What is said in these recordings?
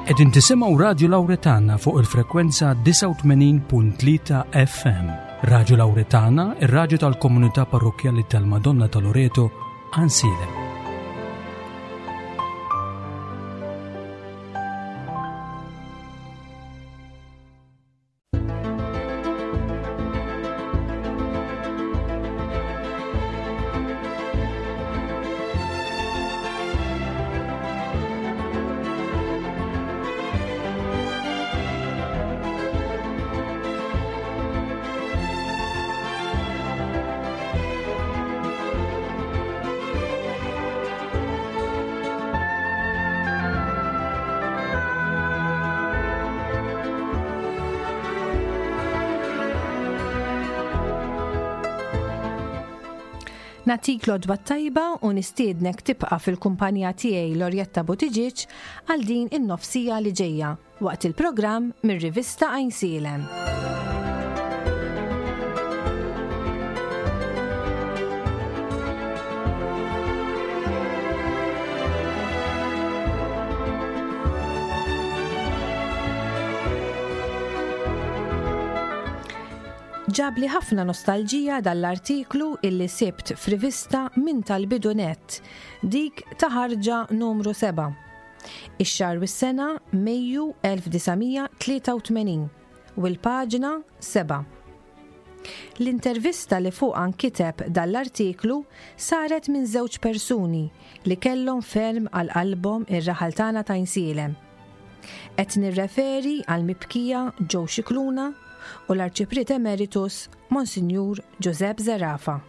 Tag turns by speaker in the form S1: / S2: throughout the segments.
S1: Qegħdin tisimgħu Radju Lawretana fuq il-frekwenza 89.3 FM. Radju Lawretana, ir-radju tal-komunità parrokkjali tal-Madonna ta' Loreto, Għansielem.
S2: Natik l-odwa tajba u nistiednek tibqa' fil-kumpanija tiegħi Lorjetta Buttigieg għal din in-nofsija li ġejja waqt il-programm mir-rivista Għajnsielem. Ġabli ħafna nostalġija dal-artiklu illi sibt f'rivista minn tal-bidu nett, dik ta' ħarġa numru 7. Ix-xahar u s-sena Mejju 1983 u l-paġna 7. L-intervista li fuqha nkiteb dan l-artiklu saret minn żewġ persuni li kellhom ferm għal qalbhom ir-raħal tagħna t'Għajnsielem. Qed nirreferi għall-mibkija Joe Scicluna u l-Arċipriet Emeritus Monsinjur Giuseppe Zerafa.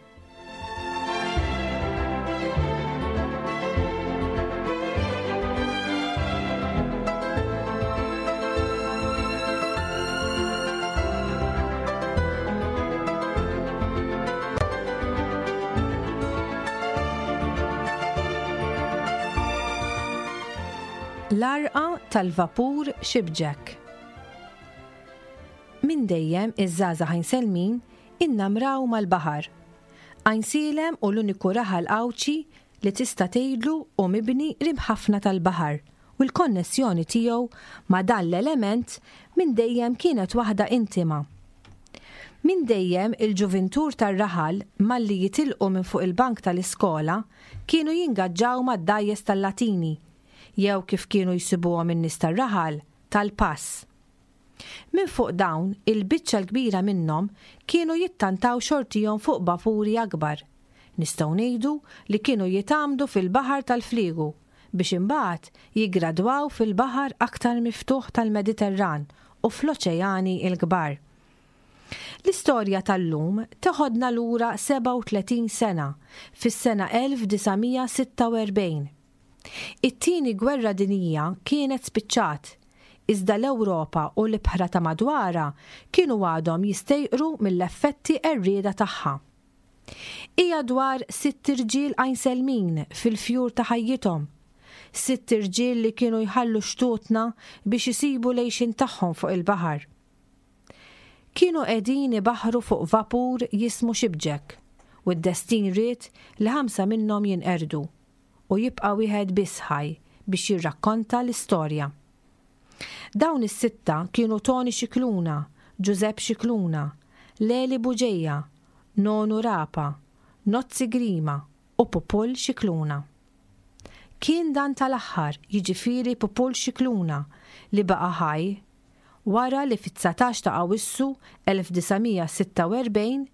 S2: L-għarqa tal-vapur Shipjack. Minn dejjem iż-żgħażagħ Għajnselmin innamraw mal-baħar. Għajnsielem hu l-uniku raħal Għawdxi li tista' tgħidlu hu mibni qrib ħafna tal-baħar u l-konnessjoni tiegħu ma' dan l-element minn dejjem kienet waħda intima. Minn dejjem il-ġuvintur tar-raħal malli jitilqu minn fuq il-bank tal-iskola kienu jingaġġaw mad-dgħajjes tal-Latini jew kif kienu jsibuhom in-nies tar-raħal, tal-pass. Minn fuq dawn, il-biċċa l-kbira minnhom kienu jittantaw xortihom fuq vapuri akbar. Nistgħu ngħidu li kienu jitgħammdu fil-baħar tal-fliegu biex imbagħad jiggradwaw fil-baħar aktar miftuħ tal-Mediterran u fl-oċeani l-kbar. L-istorja tal-lum teħodna lura 37 sena, fis-sena 1946. It-Tieni Gwerra Dinjija kienet spiċċat, iżda l-Ewropa u l-ibħra ta' madwarha kienu għadhom jistejqru mill-effetti qerrieda tagħha. Hija dwar sitt irġiel Għajnselmin fil-fjur ta' ħajjithom, sitt irġiel li kienu jħallu xtutna biex isibu l-għixien tagħhom fuq il-baħar. Kienu qegħdin ibaħħru fuq vapur jismu Shipjack u d-destin ried li ħamsa minnhom jinqerdu. u jibqa' wieħed biss ħaj biex jirrakkonta l-istorja. Dawn is-sitta kienu Toni Scicluna, Ġużepp Scicluna, Leli Bugeja, Nonu Rapa, Nozzi Grima u Pupull Scicluna. Kien dan tal-aħħar, jiġifieri Pupull Scicluna, li baqa' ħaj wara li fit-19 ta' Awissu 1946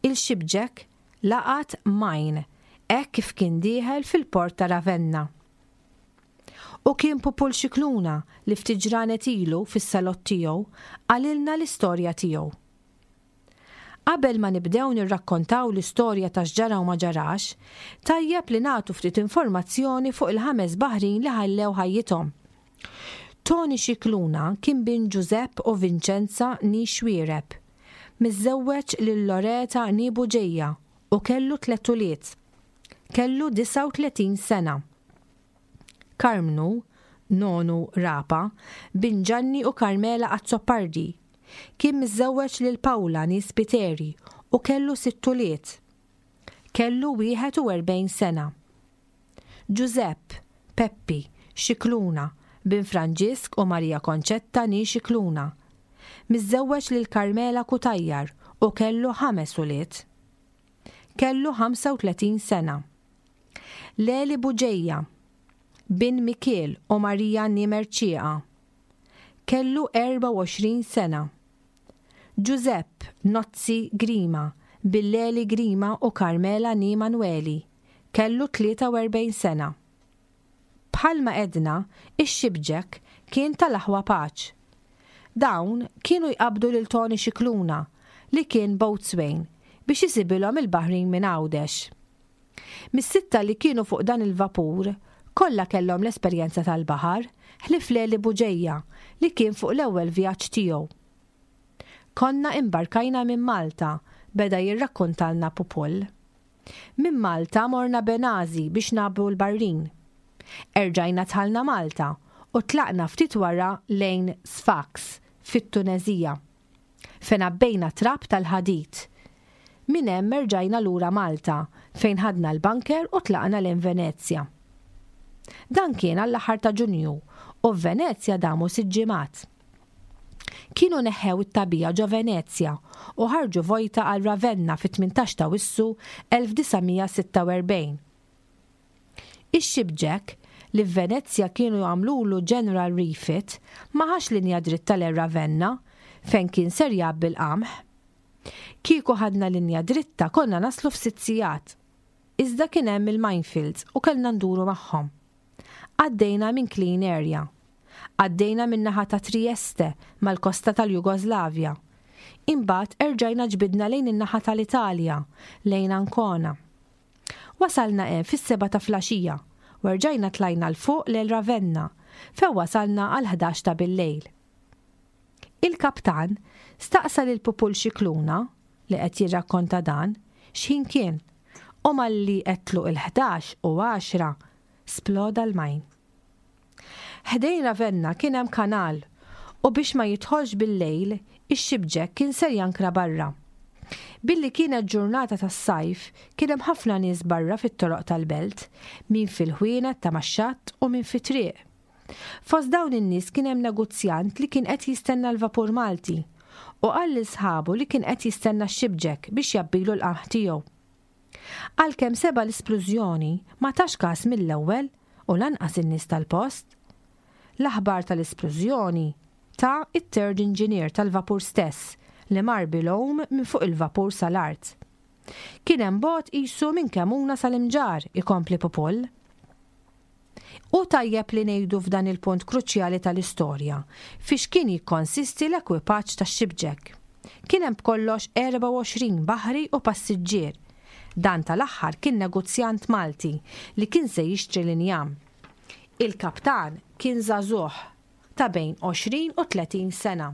S2: Il-Shipjack laqat mine hekk kif kien dieħel fil-port ta' Ravenna. U kien Pupul Scicluna li ftit ġranet ilu fis-salott tiegħu qalilna l-istorja tiegħu. Qabel ma nibdew nirrakkontaw l-istorja ta' x'ġara u ma ġarax, tajjeb li nagħtu ftit informazzjoni fuq il-ħames baħrin li ħallew ħajjithom. Toni Scicluna kien bin Ġużepp u Vinċenza nee Xuereb. Miżżewweġ lil Loreta nee Bugeja u kellu tlett ulied. Kellu 39 sena. Karmnu, Nonu Rapa, bin Ġanni u Carmela Azzopardi. Kien miżżewweġ lil Paula nee Spiteri u kellu sitt ulied. Kellu 41 sena. Ġużepp, Peppi, Scicluna, Bin Franġisk u Maria Concetta nee Scicluna. Miżżewweġ lil Carmela Cutajar u kellu ħames ulied. Kellu 35 sena. Leli Bugeja, bin Mikiel u Maria nee Mercieca. Kellu 24 sena. Ġużepp Nozzi Grima, bin Leli Grima u Carmela nee Manueli. Kellu 43 sena. Bħalma għedna, ix-Shipjack kien tal-aħwa Paċ. Dawn kienu jqabbdu lil Tony Scicluna, li kien boatswain, biex isibilhom il-baħrin minn Għawdex. Mis-sitta li kienu fuq dan il-vapur, kollha kellhom l-esperjenza tal-baħar, ħlief Leli Bugeja, li kien fuq l-ewwel vjaġġ tiegħu. Konna imbarkajna minn Malta, beda jirrakkontalna Pupull. Minn Malta morna Benazi biex nagħbbu l-barrin. Erġajna dħalna Malta u tlaqna ftit wara lejn Sfax fit-Tuneżija, fejn għabbejna trab tal-ħadid. Minn hemm erġajna lura Malta fejn ħadna l-bunker u tlaqna lejn Venezja. Dan kien għall-aħħar ta' Ġunju u f'Venezja damu sitt ġimgħat. Kienu neħħew it-tagħbija ġo Venezja u ħarġu vojta għal Ravenna fit-18 ta' Wissu 1946. Ix-Shipjack, li f'Venezja kienu għamlulu general refit, ma ħax linja dritta lejn Ravenna, fejn kien ser jgħabbi l-qamħ. Kieku ħadna linja dritta konna naslu f'sitt sigħat. Iżda kien hemm il-minefields u kellna nduru magħhom. Għaddejna minn clean area. Għaddejna min-naħa ta' Trieste mal-kosta tal-Jugoslavja. Imbagħad erġajna ġbidna lejn in-naħa tal-Italja, lejn Ancona. Wasalna hemm fis-sebgħa ta' flaxija u erġajna tlajna 'l fuq lejn Ravenna fejn wasalna għall-ħdax ta' billejl. Il-kaptan staqsa lil Pupul Scicluna, li qed jirrakkonta dan, x'ħin kien u malli għedtlu il-ħdax u għaxra sploda l-mine. Ħdejn Ravenna kien hemm kanal u biex ma jidħolx bil-lejl, ix-Shipjack kien ser jankra barra. Billi kienet ġurnata tas-sajf, kien hemm ħafna nies barra fit-toroq tal-belt, min fil-ħwienet ta' max-xatt u min fit-triq. Fost dawn in-nies kien hemm negozjant li kien qed jistenna l-vapur Malti u qal lil sħabu li kien qed jistenna x-Shipjack biex jgħabbilu l-qamħ tiegħu. Għalkemm seba' l-isplużjoni, ma tax kas mill-ewwel u lanqas in-nies tal-post. L-aħbar tal-isplużjoni ta t-third engineer tal-vapur stess li mar bil-għum minn fuq il-vapur sal-art. Kien hemm bogħod qisu minn Kemuna sal-Imġarr, ikompli Pupull. Hu tajjeb li ngħidu f'dan il-punt kruċjali tal-istorja fiex kien jikkonsisti l-ekwipaġġ tax-Shipjack. Kien hemm b'kollox 24 baħri u passiġġier. Dan tal-aħħar kien negozjant Malti li kien se jixtri l-injam. Il-kaptan kien żagħżugħ ta' bejn 20 u 30 sena.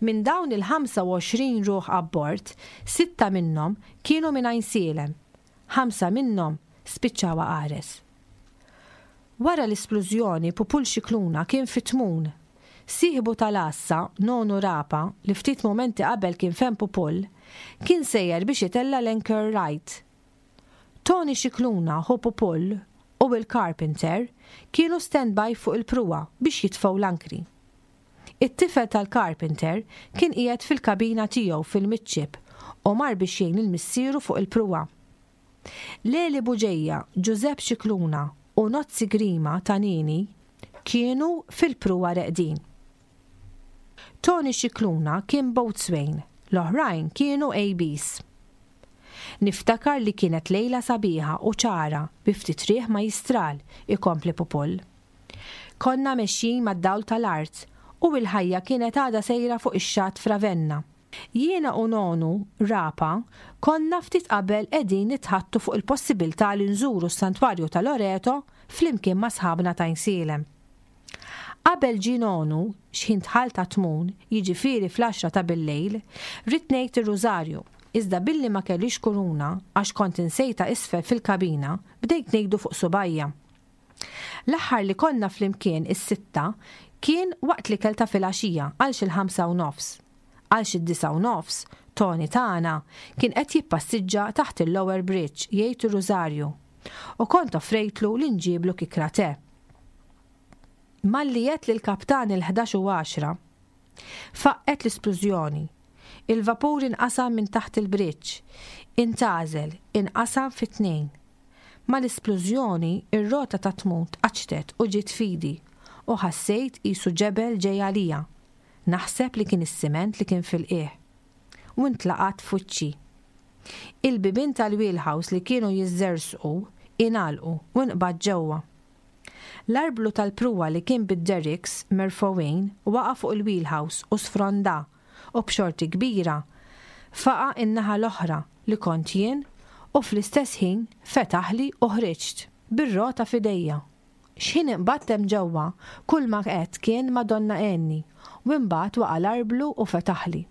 S2: Minn dawn il-25 ruħ abbord, sitta minnhom kienu minn Għajnsielem Ħamsa minnhom spiċċaw għaqares. Wara l-isplużjoni Pupul Scicluna kien fit-tmun. Sieħbu tal-għassa, Nonu Rapa, li ftit mumenti qabel kien fehem Pupul, kien sejjer biex itella' l-anchor right. Tony Scicluna, ħu Pupul, u Will Carpenter kienu stand-by fuq il-pruwa biex jitfgħu l-ankri. It-tifel tal-carpenter kien qiegħed fil-kabina tiegħu fil-midship u mar biex jgħin lil missieru fuq il-pruwa. Leli Bugeja, Ġużepp Scicluna u Nozzi Grima ta' Nini kienu fil-pruwa reqdin. Tony Scicluna kien boatswain, l-oħrajn kienu ABs. Niftakar li kienet lejla sabiħa u ċara bi ftit riħ majjistral, ikompli Pupull. Konna mexjin mad-dawl tal-art u l-ħajja kienet għadha sejra fuq ix-xatt f'Ravenna. Jiena u Nonu, Rapa, konna ftit qabel qegħdin nitħaddtu fuq il-possibiltà li nżuru s-Santwarju ta' Loreto flimkien ma' sħabna t'Għajnsielem. Qabel ġie Nonu, x'ħin dħalt għat-tmun, jiġifieri fl-għaxra ta' billejl, ridt ngħid ir-Rużarju, iżda billi ma kellix kuruna għax kont insejtha isfel fil-kabina, bdejt ngħidu fuq subgħajja. L-aħħar li konna flimkien is-sitta kien waqt l-ikel ta' filgħaxija għal xil-ħamsa u nofs. Għal xid-disgħa u nofs, Tony tagħna kien qed jippassiġġa taħt il-Lower Bridge jgħid ir-Rużarju u kont offrejtlu li nġiblu kikra te. Malli għedt lill-kaptan il-11 u għaxra, faqqgħet l-isplużjoni. Il-vapur inqasam minn taħt il-briġġ, intgħażel, inqasam fi tnejn. Mal-isplużjoni, ir-rota tat-tmun tqaċċtet u ġiet f'idi u ħassejt qisu ġebel ġej għalija. Naħseb li kien is-siment li kien fil-qiegħ. U ntlaqat f'wiċċi. Il-bibien tal-wheelhouse li kienu jiżżerżqu ingħalqu u nqbadt ġewwa. L-arblu tal-pruwa li kien bid-derricks merfugħin waqa' fuq il-wheelhouse u sfronda u b'xorti kbira faqa' in-naħa l-oħra li kont jien u fl-istess ħin fetaħli u ħriġt, bir-rota f'idejja. X'ħin inqbadt hemm ġewwa, kulma għedt kien Madonna għenni u imbagħad waqa' l-arblu u fetaħli.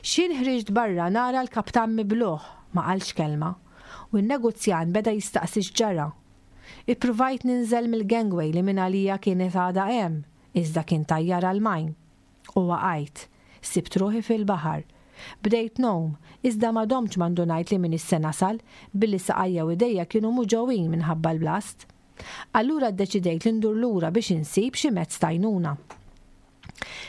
S2: X'ħin ħriġt barra nara l-kaptan mibluh, ma qalx kelma, u n-negozjant beda jistaqsi x'ġara. Ippruvajt ninżel mill-gangway li mingħalija kienet għadha hemm, iżda kien tajjar għall-mine. U waqajt. Sibt ruħi fil-baħar. Bdejt ngħum, iżda ma domtx ma ndunajt li m'iniex se nasal, billi saqajja u idejja kienu muġgħuin minħabba l-blast. Allura ddeċidejt li ndur lura biex insib xi mezz t'għajnuna.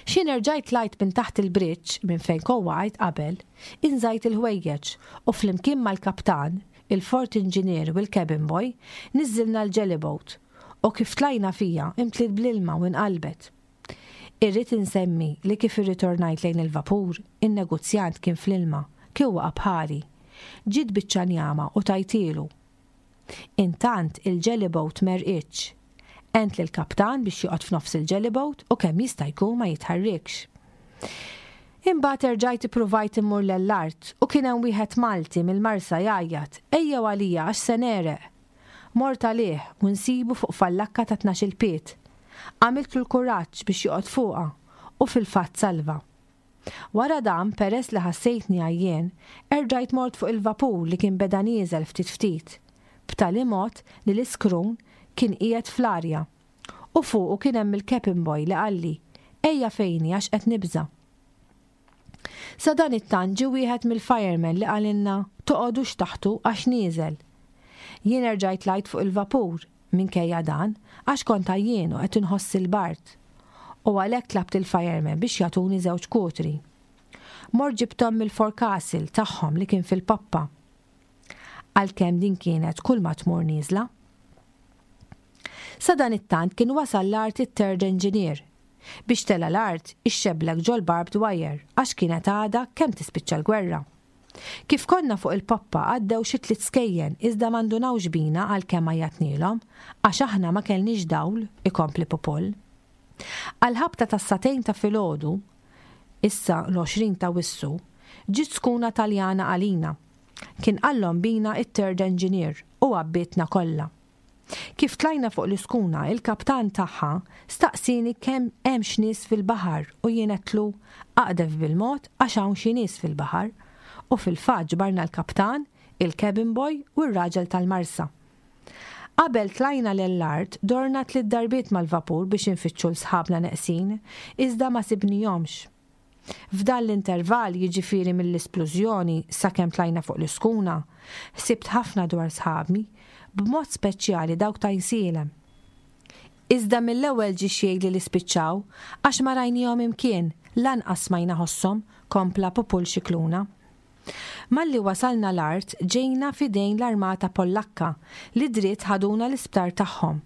S2: X'ħin erġajt tlajt minn taħt il-bridge, minn fejn kont waqajt qabel, inżajt il-ħwejjeġ u flimkien mal-kaptan, il-fort engineer u l-cabin boy, niżżilna l-jellyboat u kif tlajna fiha imtliet bl-ilma u inqalbet. Irrid insemmi li kif irritornajt lejn il-vapur, in-negozjant kien fl-ilma, kien waqa' bħali. Ġiet biċċa njama u tajtielu. Intant il-jellyboat m'għerqitx. Għent lill-kaptan biex joqgħod f'nofs il-jellyboat u kemm jista' jkun ma jitħarrikx. Imbagħad erġajt ippruvajt immur lell-art u kien hemm wieħed Malti mill-Marsa jgħajjat, 'Ejjew għalija għax se negħreq! Mort għalih u nsibu fuq fallakka ta' tnax-il pied. Għamiltlu l-kuraġġ biex joqgħod fuqha u fil-fatt salva. Wara dan, peress li ħassejtni għajjien, erġajt mort fuq il-vapur li kien beda nieżel ftit ftit, b'tali mod li l-iskrun kien qiegħed fl-arja. U fuqu kien hemm il-cabin boy li qalli, Ejja fejni għax qed nibża'. Sadanittant ġie wieħed mill-firemen li qalilna, Toqogħdux taħtu għax nieżel. Jien erġajt tlajt fuq il-vapur, minkejja dan, għax kont għajjien u qed inħoss il-bard. U għalhekk tlabt il-firemen biex jagħtuni żewġ kutri. Mort ġibthom mill-forecastle tagħhom li kien fil-poppa. Għalkemm din kienet kulma tmur nieżla. Sadanittant kien wasal l-art it-third engineer Biex tela' l-art, ixxeblek ġol-barbed wire għax kienet għadha kemm tispiċċa l-gwerra. Kif konna fuq il-poppa għaddew xi tliet skejjen iżda ma ndunawx bina għalkemm għajjatnielhom għax aħna ma kellniex dawl, ikompli Pupul. Għall-ħabta tas-sagħtejn ta' filgħodu, issa l-20 t'Awwissu, ġiet skuna Taljana għalina. Kien qallhom bina it-third engineer u għabbietna kollha. Kif tlajna fuq l-iskuna, il-kaptan tagħha staqsieni kemm hemmx nies fil-baħar u jien għedtlu, aqdef bil-mod għax hawn xi nies fil-baħar. U fil-fatt ġbarna l-kaptan, il-cabin boy u r-raġel tal-marsa. Qabel tlajna lell-art dorna tliet darbiet mal-vapur biex infittxu 'l sħabna neqsin, iżda ma sibnihomx. F'dan l-intervall, jiġifieri mill-isplużjoni sakemm tlajna fuq l-iskuna, ħsibt ħafna dwar sħabi, b'mod speċjali dawk ta' Għinsielem. Iżda mill-ewwel ġie x'jgħidli li spiċċaw, għax ma rajniehom imkien, lanqas smajna ħosshom, kompla Pupul Scicluna. Malli wasalna l-art ġejna f'idejn l-armata Pollakka li dritt ħaduna l-isptar tagħhom.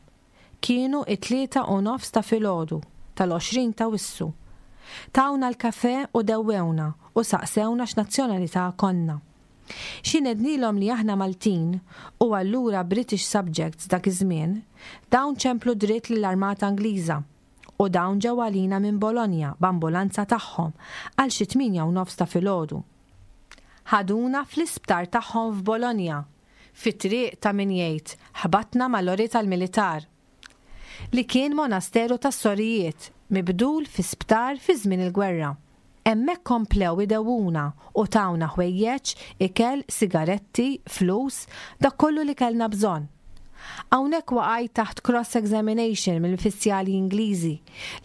S2: Kienu it-tlieta u nofs ta' filgħodu, tal-20 t'Awissu. Tawna l-kafè u dewwewna u saqsewna x'nazzjonalità konna. X'ħin għednielhom li aħna Maltin u allura British subjects dak iż-żmien, dawn ċemplu dritt lill-Armata Ingliża u dawn ġew għalina minn Bologna b'ambulanza tagħhom għal xi tmienja u nofs ta' filgħodu. Ħaduna fl-isptar tagħhom f'Bologna Fit-triq ta' min jgħid ħbatna ma' lorry tal-militar, li kien monasteru tas-sorijiet mibdul fi sptar fi żmien il-gwerra. Hemmhekk komplew idewwuna u tawna ħwejjeġ, ikel, sigaretti, flus, dak kollu li kellna bżonn. Hawnhekk waqajt taħt cross examination mill-uffiċjali Ingliżi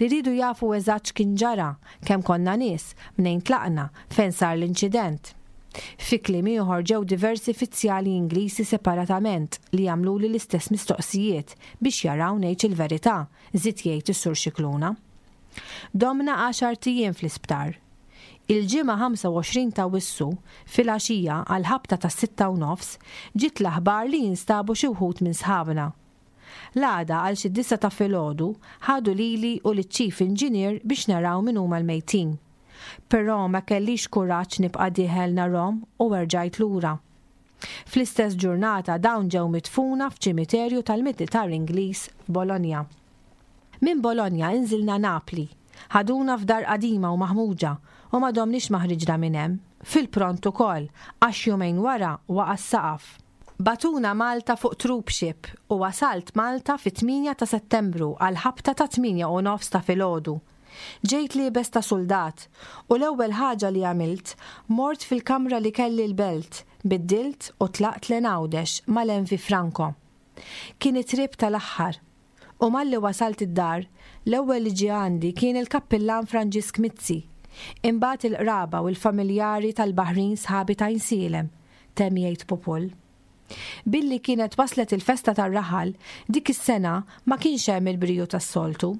S2: li riedu jafu eżatt x'kien ġara, kemm konna nies, mnejn tlaqna, fejn sar l-inċident. Fi kliem ieħor ġew diversi fizzjali Ingliżi separatament li għamluli l-istess mistoqsijiet biex jaraw ngħidx il-verità, żied jgħid is-Sur Scicluna. Domna għaxart ijiem fl-isptar. Il-Ġimgħa 25 t'Awwissu, filgħaxija għall-ħabta tas-sitta u nofs, ġiet l-aħbar li instabu xi wħud minn sħabna. L-għada għal xi d-disgħa ta' filgħodu ħadu lili u liċ-Chief Engineer biex naraw min huma l-mejtin. Però ma kellix kuraġġ nibqa' dieħel narhom u erġajt lura. Fl-istess ġurnata dawn ġew midfuna f'ċimiterju tal-militar Ingliż f'Bologna. Minn Bologna inżilna Napli. Ħaduna f'dar qadima u maħmuġa u ma domniex ma ħriġna minn hemm, fil-pront ukoll, għax jumejn wara waqa' s-saqaf. Bagħtuna Malta fuq troopship u wasalt Malta fit-tmienja ta' Settembru għall-ħabta tat-tmienja u nofs ta' filgħodu. Ġejt liebes ta' suldat u l-ewwel ħaġa li għamilt mort fil-kamra li kelli l-Belt, biddilt u tlaqt lejn Għawdex mal-MV Franco. Kien it-trip tal-aħħar. U malli wasalt id-dar, l-ewwel li ġie għandi kien il-Kappillan Franġisk Mizzi, imbagħad il-qraba u l-familjari tal-baħrin sħabi t'Għajnsielem, temm jgħid Pupul. Billi kienet waslet il-festa tar-raħal, dik is-sena ma kienx hemm il-briju tas-soltu.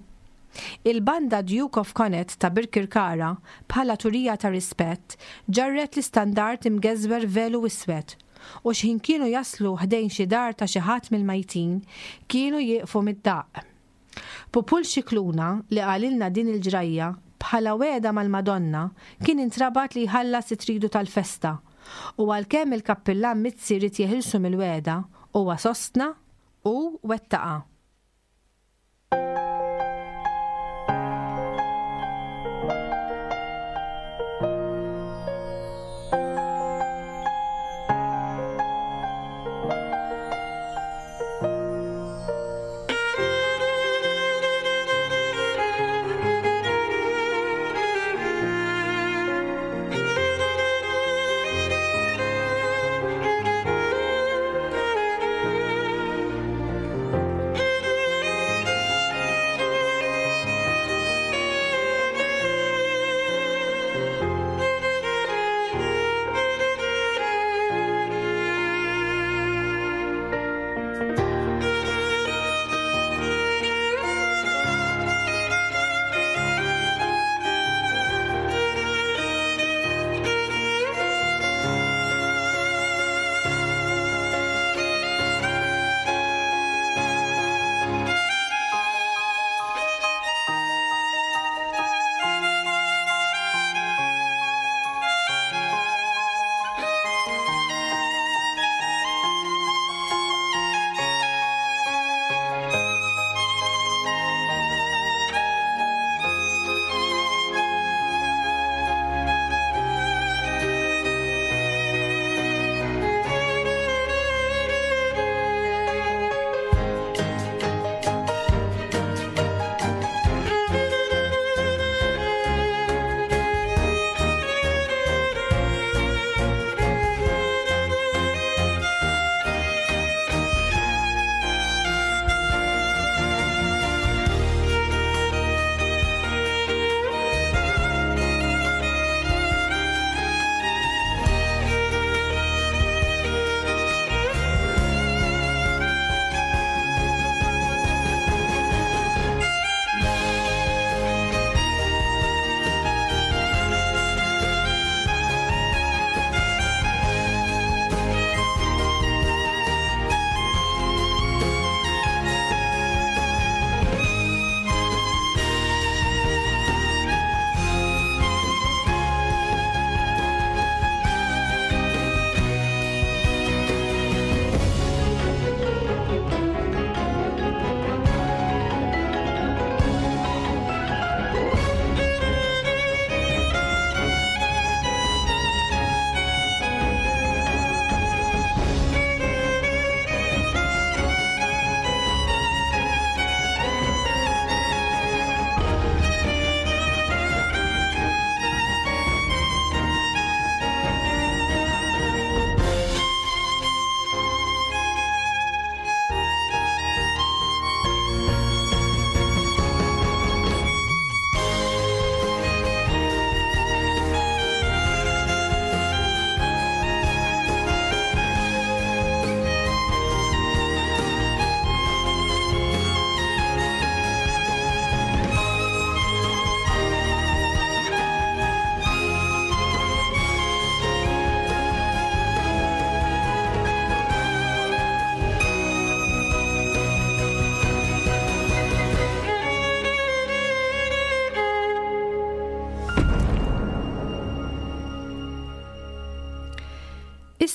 S2: Il-banda Duke of Connaught ta' Birkirkara, bħala turija ta' rispett, ġarret l-istandard imgeżwer velu iswed u x'ħin kienu jaslu ħdejn xi dar ta' xi ħadd mill-mejtin, kienu jieqfu mid-daqq. Pupul Scicluna, li qalilna din il-ġrajja, bħala wegħda mal-Madonna, kien intrabat li jħallas it-tridu tal-festa, u għalkemm il-Kappillan Mizzi ried jeħilsu mill-wegħda, huwa sostna u wettaqha.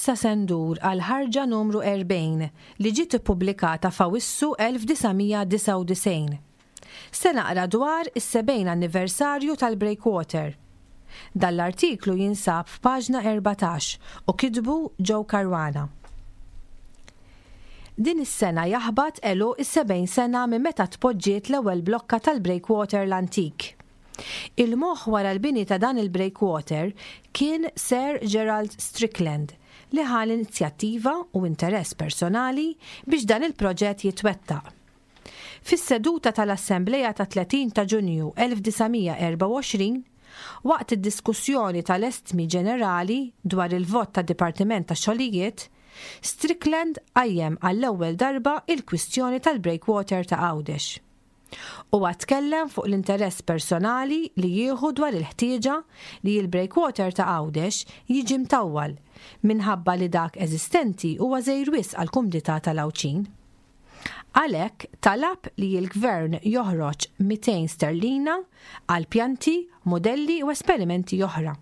S2: Issa se ndur għall-ħarġa numru 40 li ġiet ippubblikata f'Awissu 1999. Se naqra dwar is-70 anniversarju tal-Breakwater. Dan l-artiklu jinsab f'paġna 14 u kitbu Joe Caruana. Din is-sena jaħbat għeluq is-70 sena minn meta tpoġġiet l-ewwel blokka tal-breakwater l-antik. Il-moħħ wara l-bini ta' dan il-breakwater kien Sir Gerald Strickland li ħa l-inizjattiva u interess personali biex dan il-proġett jitwettaq. Fis-seduta tal-Assemblea tat-30 ta' Ġunju 1924, waqt id-diskussjoni tal-estmi ġenerali dwar il-vot tad-Dipartiment tax-Xogħlijiet, Strickland qajjem għall-ewwel darba il-kwistjoni tal-breakwater ta' Għawdex. Huwa tkellem fuq l-interess personali li jieħu dwar il-ħtieġa li l-breakwater ta' Għawdex jiġi mtawwal minħabba li dak eżistenti huwa żgħir wisq għall-kumdità tal-Għawdxin. Għalhekk talab li l-Gvern joħroġ 200 sterlina għal pjanti, mudelli u esperimenti oħra.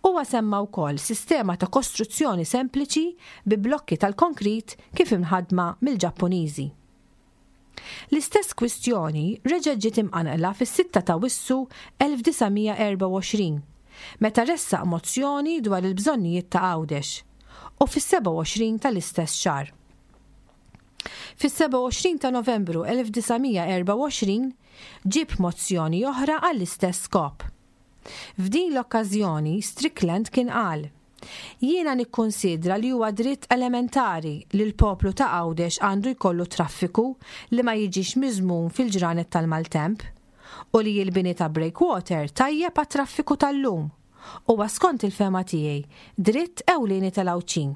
S2: Huwa semma wkoll sistema ta' kostruzzjoni sempliċi bi blokki tal-konkrit kif imħaddma mill-Ġappuniżi. L-istess kwistjoni reġgħet ġiet imqanqla fis-sitta t'Awwissu 1924, meta ressaq mozzjoni dwar il-bżonnijiet ta' Għawdex, u fis-27 tal-istess xahar. Fis-27 ta' Novembru 1924 ġieb mozzjoni oħra għall-istess skop. F'din l-okkażjoni Strickland kien qal, Jiena nikkunsidra li huwa dritt elementari li l-poplu ta' Għawdex għandu jkollu traffiku li ma jiġix miżmum fil-ġranet tal-maltemp u li l-bini ta' breakwater tajjeb għat-traffiku tal-lum huwa skont il-fehma tiegħi dritt ewlieni tal-Għawdxin.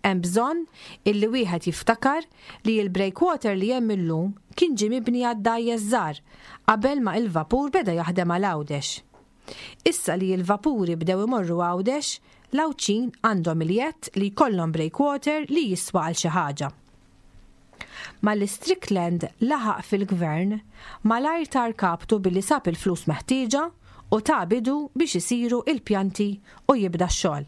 S2: Hemm bżonn illi wieħed jiftakar li l-breakwater li hemm illum kien ġie mibni għad-dgħajjes żgħar qabel ma il-vapur beda jaħdem għal Għawdex. Issa li l-vapuri bdew imorru Għawdex, l-Għawdxin għandhom il-jedd li jkollhom breakwater li jiswa għal xi ħaġa. Malli Strickland laħaq fil-Gvern, malajr tar kaptu billi sab il-flus meħtieġa u ta bidu biex isiru il-pjanti u jibda x-xogħol.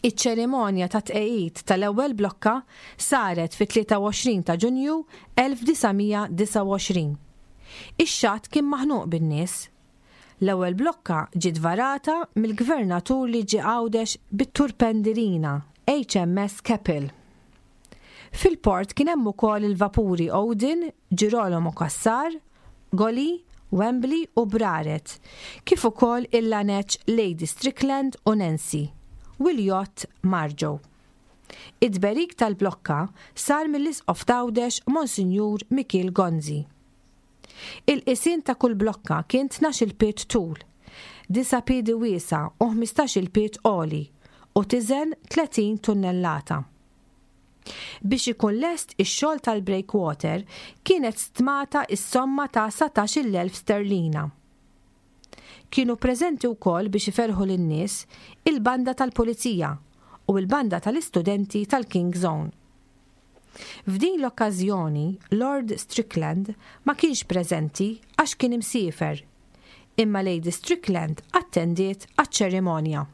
S2: Iċ-ċerimonja tat-tqegħid tal-ewwel blokka saret fit-23 ta' Ġunju 1929. Ix-xatt kien maħnuq bin-nies. L-ewwel blokka ġiet varata mill-Gvernatur li ġie Għawdex bit-turpendirina HMS Keppel. Fil-port kien hemm ukoll il-vapuri Odin, Girolamo Cassar, Goli, Wembley u Braret, kif ukoll il-laneċ Lady Strickland u Nancy, u l-jott Marjo. It-tberik tal-blokka sar mill-Isqof t'Għawdex Monsinjur Mikiel Gonzi. Il-qisien ta' kull blokka kien tnax-il pied tul, disa' piedi wiesgħa u ħmistax-il pied għoli u tiżen 30 tunnellata. Biex ikun lest ix-xogħol tal-breakwater kienet stmata s-somma ta' 19,000 sterlina. Kienu preżenti wkoll biex iferrħu lin-nies il-banda tal-Pulizija u l-banda tal-istudenti tal-King's Own. F'din l-okkażjoni Lord Strickland ma kienx preżenti għax kien imsiefer, imma Lady Strickland attendiet għaċ-ċerimonja.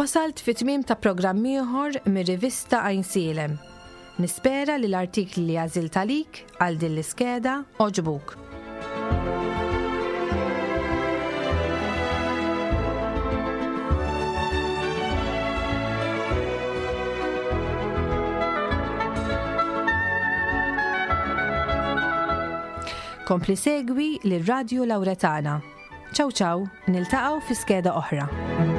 S2: Wasalt fi tmiem ta' programm ieħor mir-rivista Għajnsielem. Nispera li l-artikli li għażilt għalik għal din l-iskeda għoġbuk. Kompli segwi lir Radju Lawretana. Ciao ciao, niltaqgħu fi skeda oħra.